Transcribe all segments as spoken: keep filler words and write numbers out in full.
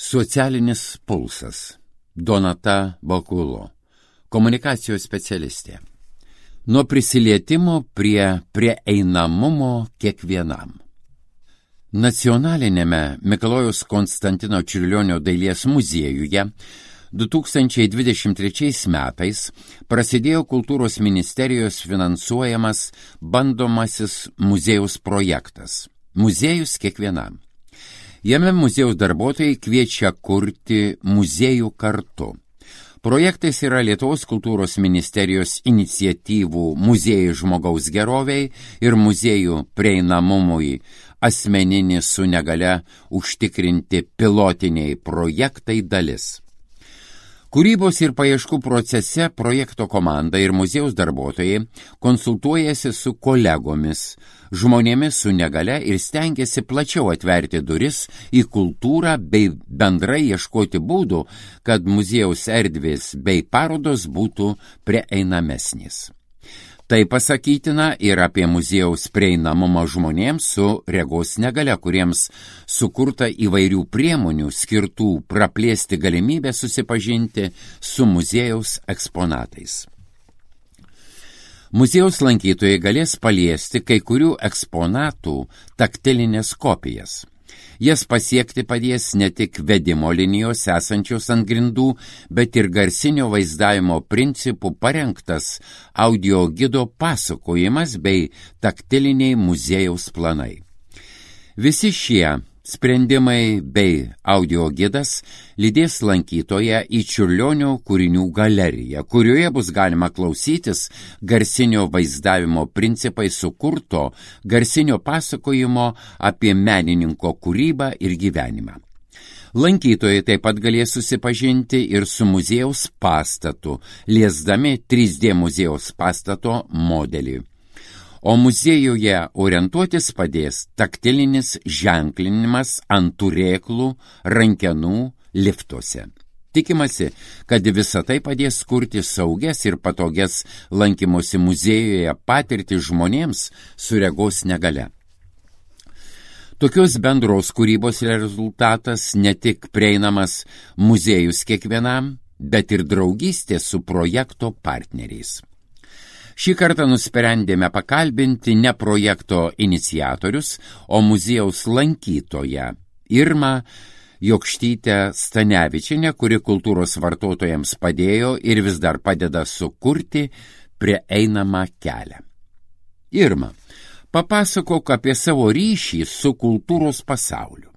Socialinis pulsas. Donata Bakulo, komunikacijos specialistė. Nuo prisilietimo prie prieinamumo kiekvienam. Nacionalinėme Mikalojaus Konstantino Čiurlionio dailės muziejuje du tūkstančiai dvidešimt trečiais metais prasidėjo Kultūros ministerijos finansuojamas bandomasis muziejaus projektas Muziejus kiekvienam. Jame muziejaus darbuotojai kviečia kurti muziejų kartu. Projektais yra Lietuvos kultūros ministerijos iniciatyvų muziejai žmogaus geroviai ir muziejų prieinamumui asmeninį su negale užtikrinti pilotiniai projektai dalis. Kūrybos ir paieškų procese projekto komanda ir muziejaus darbuotojai konsultuojasi su kolegomis, žmonėmis su negale ir stengiasi plačiau atverti duris į kultūrą bei bendrai ieškoti būdų, kad muziejaus erdvės bei parodos būtų prieinamesnės. Tai pasakytina ir apie muziejaus prieinamumą žmonėms su regos negale, kuriems sukurta įvairių priemonių skirtų praplėsti galimybę susipažinti su muziejaus eksponatais. Muziejaus lankytojai galės paliesti kai kurių eksponatų taktilinės kopijas. Jas pasiekti padės ne tik vedimo linijos esančios ant grindų, bet ir garsinio vaizdavimo principų parengtas audio gido pasakojimas bei taktiliniai muziejaus planai. Visi šie sprendimai bei audio gidas lydės lankytoją į Čiurlionio kūrinių galeriją, kurioje bus galima klausytis garsinio vaizdavimo principai sukurto garsinio pasakojimo apie menininko kūrybą ir gyvenimą. Lankytojai taip pat galės susipažinti ir su muziejaus pastatu, liesdami trys D muziejaus pastato modelį. O muziejuje orientuotis padės taktilinis ženklinimas ant turėklų, rankenų, liftuose. Tikimasi, kad visa tai padės kurti saugias ir patogias lankymosi muziejuje patirti žmonėms su regos negale. Tokios bendros kūrybos rezultatas ne tik prieinamas muziejus kiekvienam, bet ir draugystė su projekto partneriais. Šį kartą nusprendėme pakalbinti ne projekto iniciatorius, o muziejaus lankytoją Irmą Jokštytę Stanevičienę, kuri kultūros vartotojams padėjo ir vis dar padeda sukurti prieinamą kelią. Irma, papasakok apie savo ryšį su kultūros pasauliu.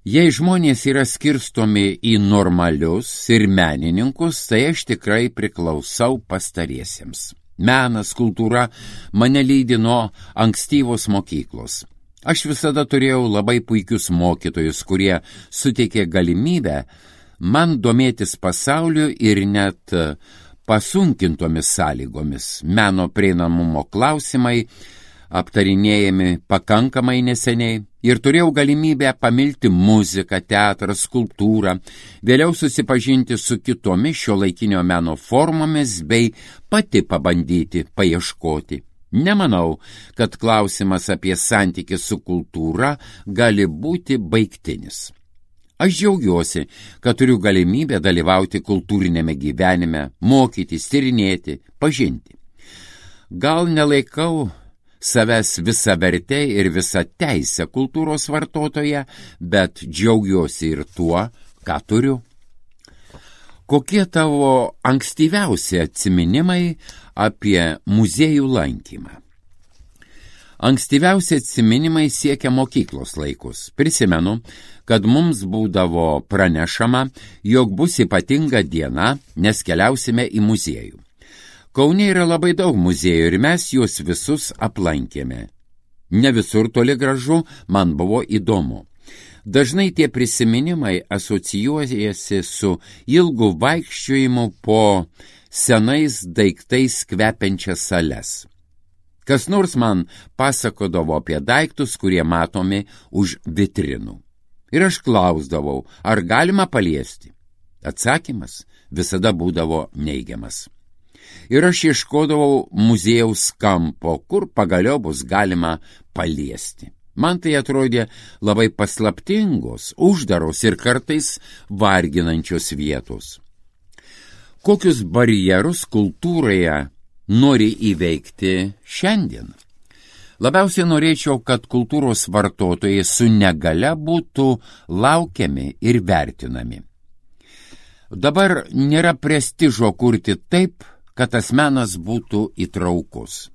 Jei žmonės yra skirstomi į normalius ir menininkus, tai aš tikrai priklausau pastariesiems. Menas, kultūra mane lydi nuo ankstyvos mokyklos. Aš visada turėjau labai puikius mokytojus, kurie suteikė galimybę man domėtis pasauliu ir net pasunkintomis sąlygomis. Meno prieinamumo klausimai aptarinėjami pakankamai neseniai ir turėjau galimybę pamilti muziką, teatrą, skulptūrą, vėliau susipažinti su kitomis šiuolaikinio meno formomis bei pati pabandyti paieškoti. Nemanau, kad klausimas apie santykį su kultūra gali būti baigtinis. Aš džiaugiuosi, kad turiu galimybę dalyvauti kultūrinėme gyvenime, mokytis, tyrinėti, pažinti. Gal nelaikau savęs visą vertę ir visą teisę kultūros vartotoje, bet džiaugiuosi ir tuo, ką turiu. Kokie tavo ankstyviausi atsiminimai apie muziejų lankymą? Ankstyviausi atsiminimai siekia mokyklos laikus. Prisimenu, kad mums būdavo pranešama, jog bus ypatinga diena, nes keliausime į muziejų. Kaune yra labai daug muziejų ir mes juos visus aplankėme. Ne visur toli gražu, man buvo įdomu. Dažnai tie prisiminimai asocijuojasi su ilgu vaikščiojimu po senais daiktais kvepiančias sales. Kas nors man pasakodavo apie daiktus, kurie matomi už vitrinų. Ir aš klausdavau, ar galima paliesti. Atsakymas visada būdavo neigiamas. Ir aš ieškodavau muziejaus kampo, kur pagaliau bus galima paliesti. Man tai atrodė labai paslaptingos, uždaros ir kartais varginančios vietos. Kokius barjerus kultūroje nori įveikti šiandien? Labiausiai norėčiau, kad kultūros vartotojai su negale būtų laukiami ir vertinami. Dabar nėra prestižo kurti taip, kad tas menas būtų įtraukus.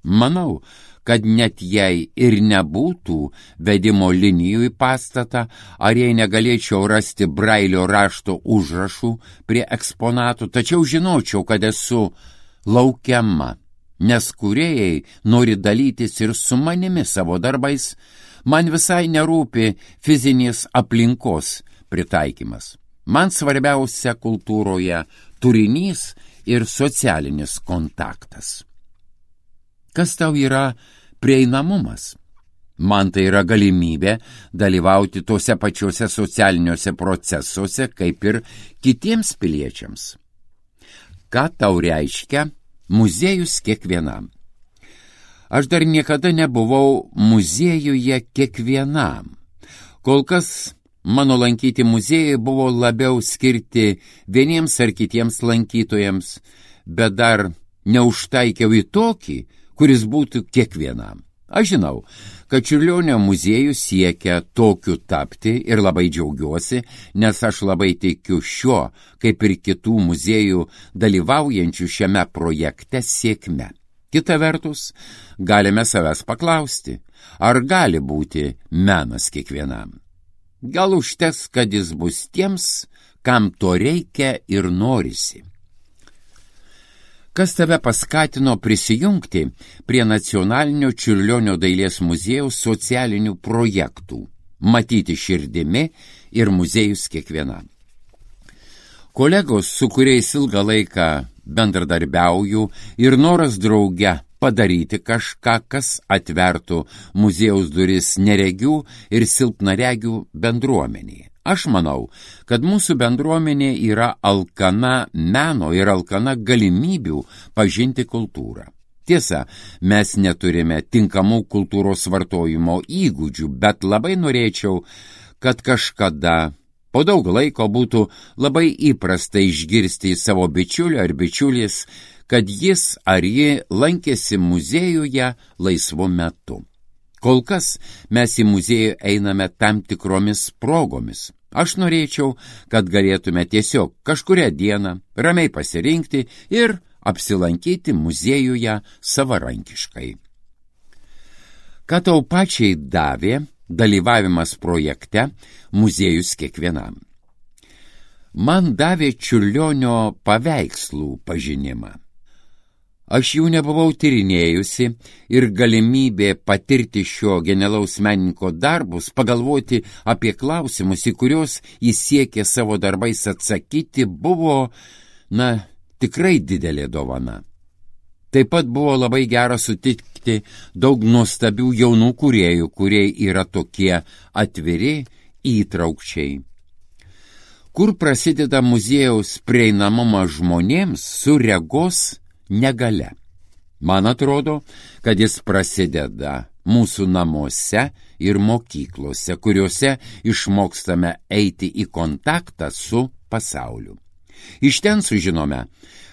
Manau, kad net jei ir nebūtų vedimo linijų į pastatą, ar jei negalėčiau rasti brailio rašto užrašų prie eksponatų, tačiau žinočiau, kad esu laukiama, nes kūrėjai nori dalytis ir su manimi savo darbais, man visai nerūpi fizinės aplinkos pritaikymas. Man svarbiausia kultūroje turinys ir socialinis kontaktas. Kas tau yra prieinamumas? Man tai yra galimybė dalyvauti tose pačiuose socialiniuose procesuose, kaip ir kitiems piliečiams. Ką tau reiškia muziejus kiekvienam? Aš dar niekada nebuvau muziejuje kiekvienam. Kol kas mano lankyti muziejai buvo labiau skirti vieniems ar kitiems lankytojams, bet dar neužtaikiau į tokį, kuris būtų kiekvienam. Aš žinau, kad Čiurlionio muziejus siekia tokiu tapti ir labai džiaugiuosi, nes aš labai tikiu šiuo, kaip ir kitų muziejų dalyvaujančių šiame projekte sėkme. Kita vertus, galime savęs paklausti, ar gali būti menas kiekvienam. Gal užteks, kad jis bus tiems, kam to reikia ir norisi. Kas tave paskatino prisijungti prie Nacionalinio Čiurlionio dailės muziejaus socialinių projektų, matyti širdimi ir muziejus kiekvienam? Kolegos, su kuriais ilgą laiką bendradarbiauju, ir noras drauge padaryti kažką, kas atvertų muziejaus duris neregių ir silpnaregių bendruomenėje. Aš manau, kad mūsų bendruomenė yra alkana meno ir alkana galimybių pažinti kultūrą. Tiesa, mes neturime tinkamų kultūros vartojimo įgūdžių, bet labai norėčiau, kad kažkada po daug laiko būtų labai įprasta išgirsti savo bičiulio ar bičiulės, kad jis ar ji lankėsi muziejuje laisvu metu. Kol kas mes į muziejų einame tam tikromis progomis. Aš norėčiau, kad galėtume tiesiog kažkurią dieną ramiai pasirinkti ir apsilankyti muziejuje savarankiškai. Ką tau pačiai davė dalyvavimas projekte Muziejus kiekvienam? Man davė Čiurlionio paveikslų pažinimą. Aš jų nebuvau tyrinėjusi ir galimybė patirti šio genialaus menininko darbus, pagalvoti apie klausimus, į kuriuos jis siekė savo darbais atsakyti, buvo, na, tikrai didelė dovana. Taip pat buvo labai gera sutikti daug nuostabių jaunų kūrėjų, kurie yra tokie atviri, įtraukčiai. Kur prasideda muziejaus prieinamumas žmonėms su regos negale? Man atrodo, kad jis prasideda mūsų namuose ir mokyklose, kuriuose išmokstame eiti į kontaktą su pasauliu. Iš ten sužinome,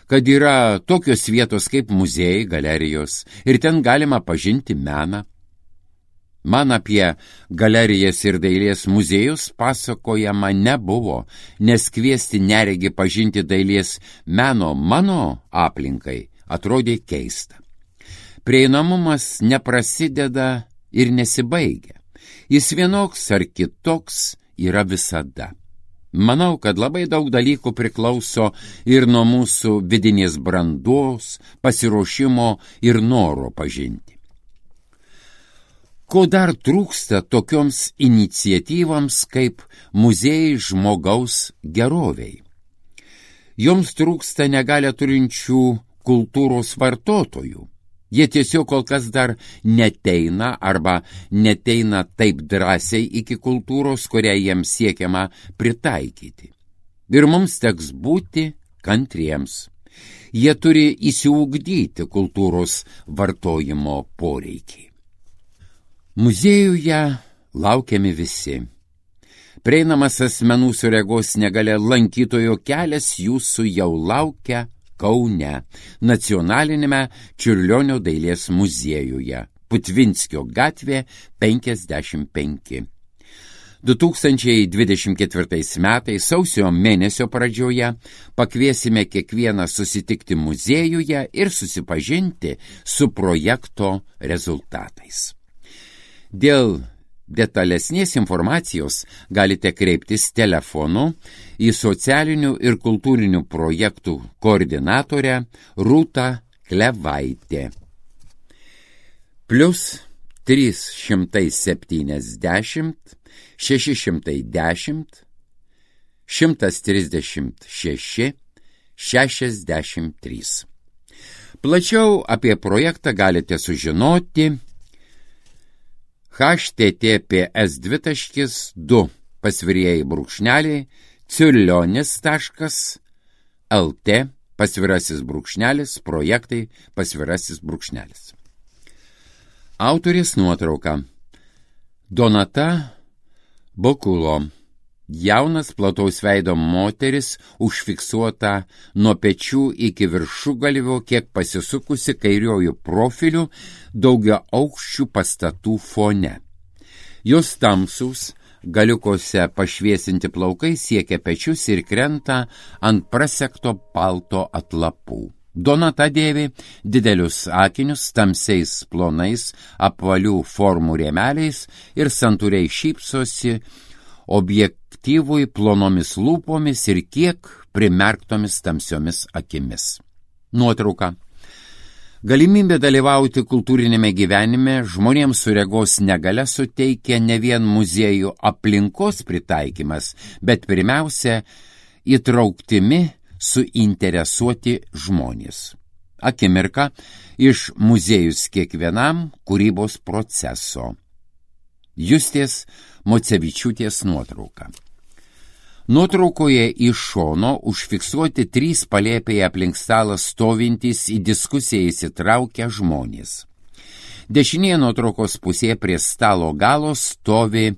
kad yra tokios vietos kaip muziejai, galerijos, ir ten galima pažinti meną. Man apie galerijas ir dailės muziejus pasakojama nebuvo, nes kviesti neregį pažinti dailės meno mano aplinkai atrodė keista. Prieinamumas neprasideda ir nesibaigia. Jis vienoks ar kitoks yra visada. Manau, kad labai daug dalykų priklauso ir nuo mūsų vidinės brandos, pasiruošimo ir noro pažinti. Ko dar trūksta tokioms iniciatyvams kaip muziejai žmogaus geroviai? Joms trūksta negalią turinčių kultūros vartotojų. Jie tiesiog kol kas dar neteina arba neteina taip drąsiai iki kultūros, kurią jiems siekiama pritaikyti. Ir mums teks būti kantriems. Jie turi įsiugdyti kultūros vartojimo poreikį. Muziejuje laukiami visi. Prieinamas asmenų su regos negalia lankytojo kelias jūsų jau laukia Kaune, nacionalinėme Čiurlionio dailės muziejuje, Putvinskio gatvė penkiasdešimt penki. du tūkstančiai dvidešimt ketvirtais metais sausio mėnesio pradžioje pakviesime kiekvieną susitikti muziejuje ir susipažinti su projekto rezultatais. Dėl detalesnės informacijos galite kreiptis telefonu į socialinių ir kultūrinių projektų koordinatorę Rūtą Klevaitę. Plius trys šimtai septyniasdešimt šeši šimtai dešimt šimtas trisdešimt šeši šešiasdešimt trys. Plačiau apie projektą galite sužinoti h t t p s dvi taškas du pasvirieji brūkšneliai čiurlionis taškas l t pasvirasis brūkšnelis projektai pasvirasis brūkšnelis. Autorės nuotrauka Donata Bokulo. Jaunas plataus veido moteris užfiksuota nuo pečių iki viršugalvio, kiek pasisukusi kairiojų profilių daugia aukščių pastatų fone. Jos tamsūs, galiukose pašviesinti plaukai siekia pečius ir krenta ant prasekto palto atlapų. Donata dėvi didelius akinius tamsiais plonais apvalių formų rėmeliais ir santūriai šypsosi objektyvui plonomis lūpomis ir kiek primerktomis tamsiomis akimis. Nuotrauka. Galimybė dalyvauti kultūrinėme gyvenime žmonėms su regos negalia suteikia ne vien muziejų aplinkos pritaikymas, bet pirmiausia įtrauktimi suinteresuoti žmonės. Akimirka iš muziejus kiekvienam kūrybos proceso. Justės Mocevičiūtės nuotrauka. Nuotraukoje iš šono užfiksuoti trys palėpėje aplink stalą stovintys į diskusiją įsitraukę žmonės. Dešinėje nuotraukos pusėje prie stalo galo stovi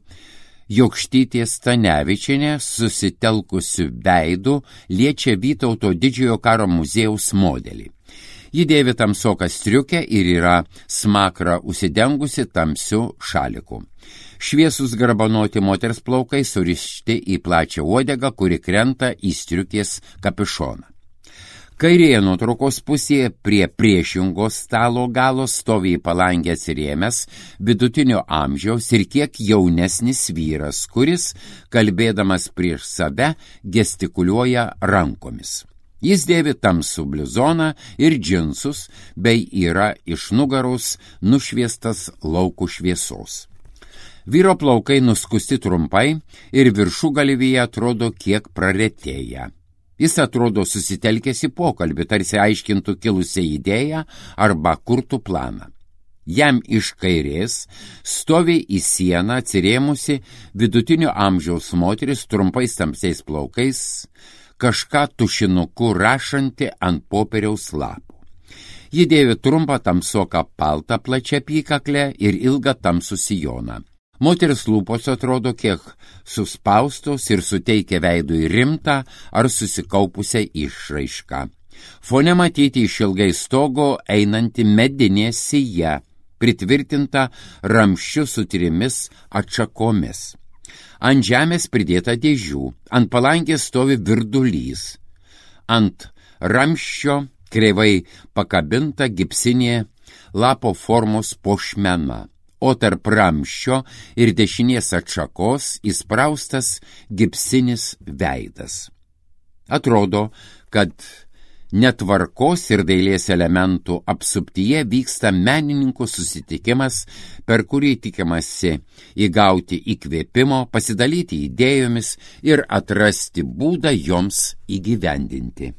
Jokštytė Stanevičienė susitelkusiu veidu liečia Vytauto didžiojo karo muziejaus modelį. Ji dėvi tamsoką striukę ir yra smakrą užsidengusi tamsiu šaliku. Šviesus garbanoti moters plaukai surišti į plačią uodegą, kuri krenta į striukės kapišoną. Kairėje nuotraukos pusėje prie priešingos stalo galo stovi į palangės rėmės vidutinio amžiaus ir kiek jaunesnis vyras, kuris, kalbėdamas prieš save, gestikuliuoja rankomis. Jis dėvi tamsų bliuzoną ir džinsus, bei yra iš nugaros nušviestas laukų šviesos. Vyro plaukai nuskusti trumpai ir viršugalvyje atrodo kiek praretėję. Jis atrodo susitelkęs į pokalbį, tarsi aiškintų kilusią idėją arba kurtų planą. Jam iš kairės stovi į sieną atsirėmusi vidutinio amžiaus moteris trumpais tamsiais plaukais, kažką tušinuku rašanti ant popieriaus lapų. Ji dėvi trumpą tamsoką paltą plačia apykaklę ir ilgą tamsų sijoną. Moteris lūpos atrodo kiek suspaustos ir suteikia veidui rimtą ar susikaupusią išraišką. Fone matyti išilgai stogo einanti medinė sija, pritvirtinta ramščiu su trimis atšakomis. Ant žemės pridėta dėžių, ant palangės stovi virdulys. Ant ramščio kreivai pakabinta gipsinė lapo formos puošmena, o tarp ramščio ir dešinės atšakos įspraustas gipsinis veidas. Atrodo, kad netvarkos ir dailės elementų apsuptyje vyksta menininkų susitikimas, per kurį tikimasi įgauti įkvėpimo, pasidalyti idėjomis ir atrasti būdą joms įgyvendinti.